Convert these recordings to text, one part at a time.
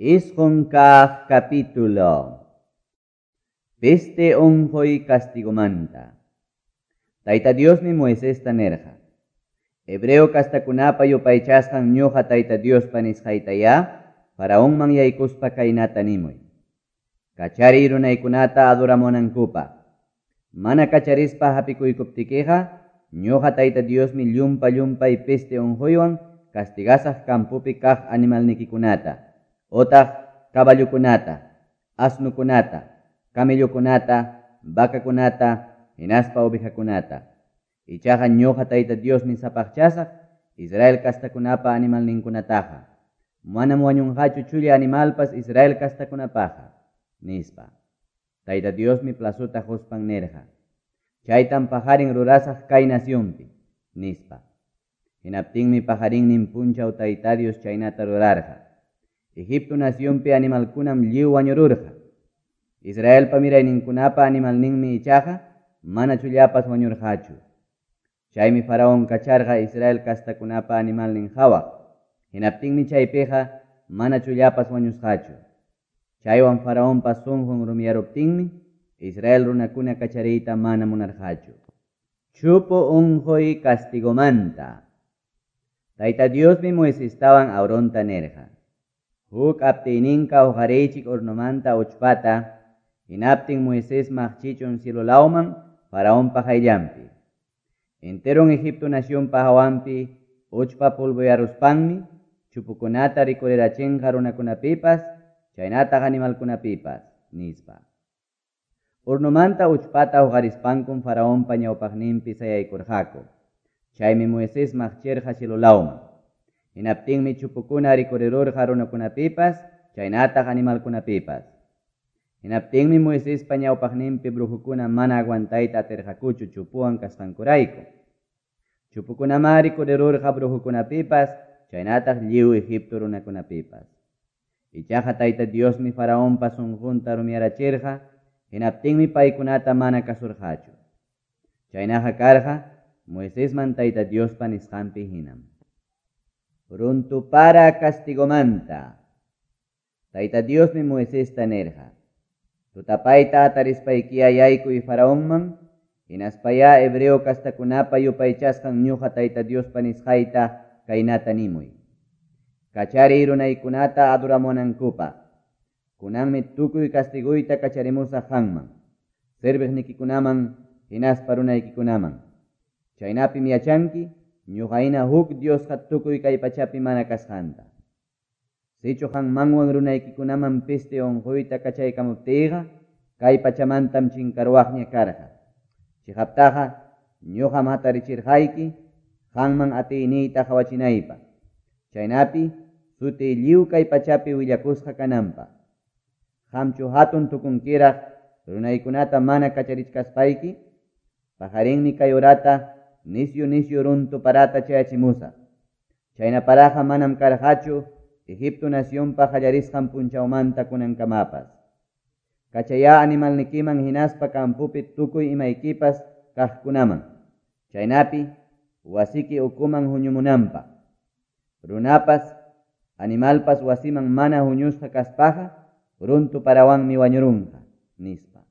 Isqun kaq capítulo. Peste unquy castigomanta. Tayta Diosmi Moisesta nirqa: Hebreo castakunapa yupaychasqan ñuqa Tayta Diospa nisqaytayá Faraonman yaykuspa kaynata nimuy: Kachariy runaykunata adoramunankupaq. Mana kacharispa hapikuykuptikiqa ñuqa Tayta Diosmi llumpa-llumpay peste unquywan castigasaq campopi kaq animalnikikunata, otaq caballokunata, asnokunata, camellokunata, vacakunata, hinaspa ovejakunata. Ichaqa ñuqa Tayta Diosmi sapaqchasaq Israel castakunapa animalninkunataqa. Manam wañunqachu chulla animalpas Israel castakunapaqa, nispa. Tayta Diosmi plazota quspan nirqa: Chaytam paqarin rurasaq kay nacionpi, nispa. Hinaptinmi paqarinnin punchaw Tayta Dios chaynata rurarqa. Egipto nacionpi animalkunam lliw wañururqa. Israelpa mirayninkunapa animalninmi ichaqa mana chullapas wañurqachu. Chaymi Faraón kacharqa Israel castakunapa animalnin qawaq. Hinaptinmi chaypiqa mana chullapas wañusqachu. Chaywan Faraonpa sunqun rumiyaruptinmi Israel runakuna kachariyta mana munarqachu. Chupu unquy castigomanta. Tayta Diosmi Moisestawan Aaronta nirqa: Huk aptiyninka huqariychik hornomanta uchpata, hinaptin Moisés maqchichun cielo lawman Faraonpa qayllanpi. Enteron Egipto nacionpa hawanpi uchpa polvoyaruspanmi chupukunata rikurirachinqa runakunapipas, chaynataq animalkunapipas, nispa. Hornomanta uchpata huqarispankum Faraonpa ñawpaqninpi sayaykurqaku. Chaymi Moisés maqchirqa cielo lawman. Hinaptinmi chupukuna rikurirurqa runakunapipas, chaynataq animalkunapipas. Hinaptinmi Moisespa ñawpaqninpi brujukuna mana aguantayta atirqakuchu chupuwan kasqankurayku. Chupukunamá rikurirurqa brujukunapipas, chaynataq lliw Egipto runakunapipas. Ichaqa Tayta Diosmi Faraonpa sunqunta rumiyarachirqa, hinaptinmi paykunata mana kasurqachu. Chaynaqa karqa Moisesman Tayta Diospa nisqanpi hinam. Runtupara castigomanta. Tayta Diosmi Moisesta nirqa: Tutapayta hatarispaykiya yaykuy Faraonman, hinaspayá hebreo castakunapa yupaychasqan ñuqa Tayta Diospa nisqayta kaynata nimuy: Kachariy runaykunata adoramunankupaq. Kunanmi tukuy castiguyta kacharimusaq qanman, serviqnikikunaman, hinaspa runaykikunaman. Chaynapim yachanki ñuqa hina huk Diosqa tukuy kay pachapi mana kasqanta. Sichu qanmanwan runaykikunaman peste unquyta kachaykamuptiyqa, kay pachamantam chinkaruwaqña karqa. Chiqaptaqa ñuqam hatarichirqayki qanman atiyniyta qawachinaypaq. Chaynapi sutiy lliw kay pachapi willakusqa kananpaq. Qamchu hatun tukunkiraq runaykunata mana kacharichkaspayki? Paqarinmi kay horata nisyu nisyu runtu parata chayachimusaq. Chayna paraqa manam karqachu Egipto nacionpa qallarisqan punchawmanta kunankamapas. Kachayá animalnikiman hinaspa campopi tukuy imaykipas kaqkunaman. Chaynapi wasiki ukuman huñumunanpaq. Runapas, animalpas wasiman mana huñusqa kaspaqa, runtu parawanmi wañurunqa, nispa.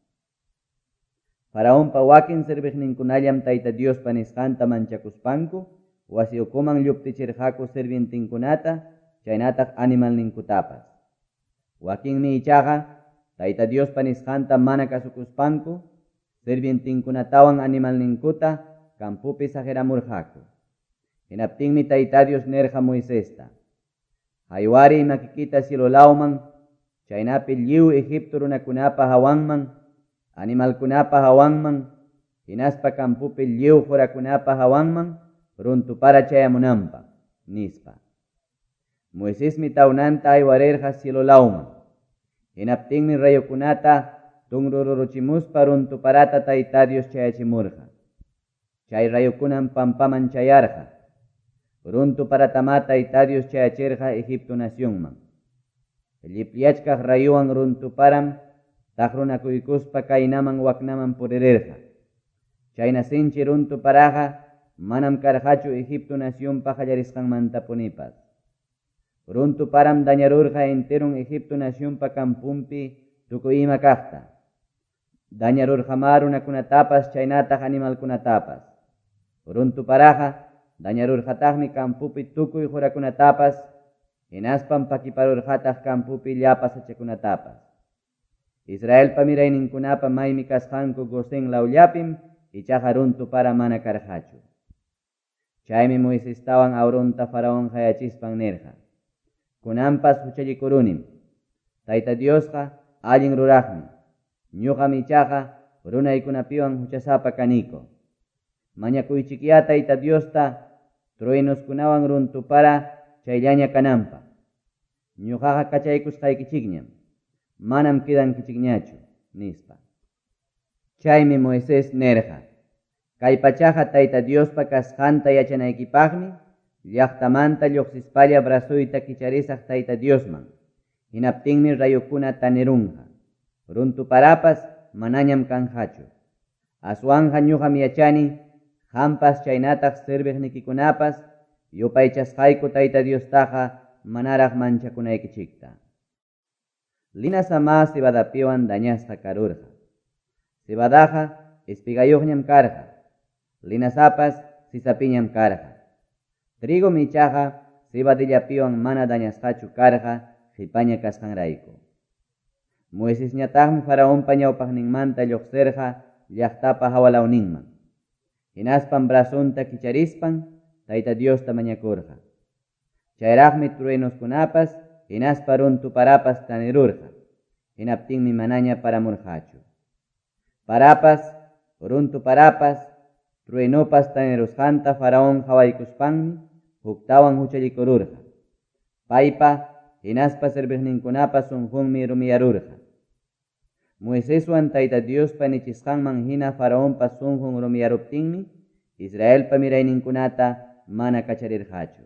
Faraonpa wakin serviqninkunallam Tayta Diospa nisqanta manchakuspanku, wasi ukuman lluptichirqaku sirvientinkunata, chaynataq animalninkutapas. Wakinmi ichaqa Tayta Diospa nisqanta mana kasukuspanku, sirvientinkunatawan animalninkuta campopi saqiramurqaku. Hinaptinmi Tayta Dios nirqa Moisesta: Haywariy makikita cielo lawman, chaynapi lliw Egipto runakunapa hawanman, animalkunapa hawanman, hinaspa campopi lliw qurakunapa hawanman, runtupara chayamunanpaq, nispa. Moisesmi tawnanta aywarirqa cielo lawman. Hinaptinmi rayokunata tunruruchimuspa runtuparata Tayta Dios chayachimurqa. Chay rayokunam pampaman chayarqa. Runtuparatamá Tayta Dios chayachirqa Egipto nacionman. Llipyachkaq rayuwan runtuparam taqrunakuykuspa kaynaman waknaman puririrqa. Chayna sinchi runtuparaqa manam karqachu Egipto nacionpa qallarisqanmantapunipas. Runtu param dañarurqa enteron Egipto nacionpa camponpi tukuy ima kaqta. Dañarurqamá runakunatapas chaynataq animalkunatapas. Runtu paraqa dañarurqataqmi campopi tukuy qurakunatapas, hinaspam pakiparurqataq campopi llapa sachakunatapas. Israelpa mirayninkunapa maymi kasqanku Gosén lawllapim ichaqa runtu para mana karqachu. Chaymi Moisestawan Aaronta Faraón qayachispan nirqa: Kunanpas huchallikurunim. Tayta Diosqa allin ruraqmi. Ñuqam ichaqa runaykunapiwan huchasapa kaniku. Mañakuychikyá Tayta Diosta truenoskunawan runtu para chayllaña kananpaq. Ñuqaqa kachaykusqaykichikñam. Manam quedankichikñachu, nispa. Chaymi Moisés nirqa: Kay pachaqa Tayta Diospa kasqanta yachanaykipaqmi llaqtamanta lluqsispalla brazoyta kicharisaq Tayta Diosman. Hinaptinmi rayokuna tanirunqa. Runtu parapas manañam kanqachu. Aswanqa ñuqam yachani qampas chaynataq serviqnikikunapas yupaychasqayku Tayta Diostaqa manaraq manchakunaykichikta. Linazamá cebadapiwan dañasqa karurqa. Cebadaqa espigayuqñam karqa. Linazapas sisapiñam karqa. Trigom ichaqa cebadillapiwan mana dañasqachu karqa qipaña kasqanrayku. Moisesñataqmi Faraonpa ñawpaqninmanta lluqsirqa llaqtapa hawalawninman. Hinaspam brazonta kicharispan Tayta Diosta mañakurqa. Chayraqmi truenoskunapas hinaspa runtu parapas tanirurqa. Hinaptinmi manaña paramurqachu. Parapas, runtu parapas, truenopas tanirusqanta Faraón qawaykuspanmi huktawan huchallikururqa. Paypa hinaspa serviqninkunapa sunqunmi rumiyarurqa. Moiseswan Tayta Diospa nichisqanman hina Faraonpa sunqun rumiyaruptinmi Israelpa mirayninkunata mana kacharirqachu.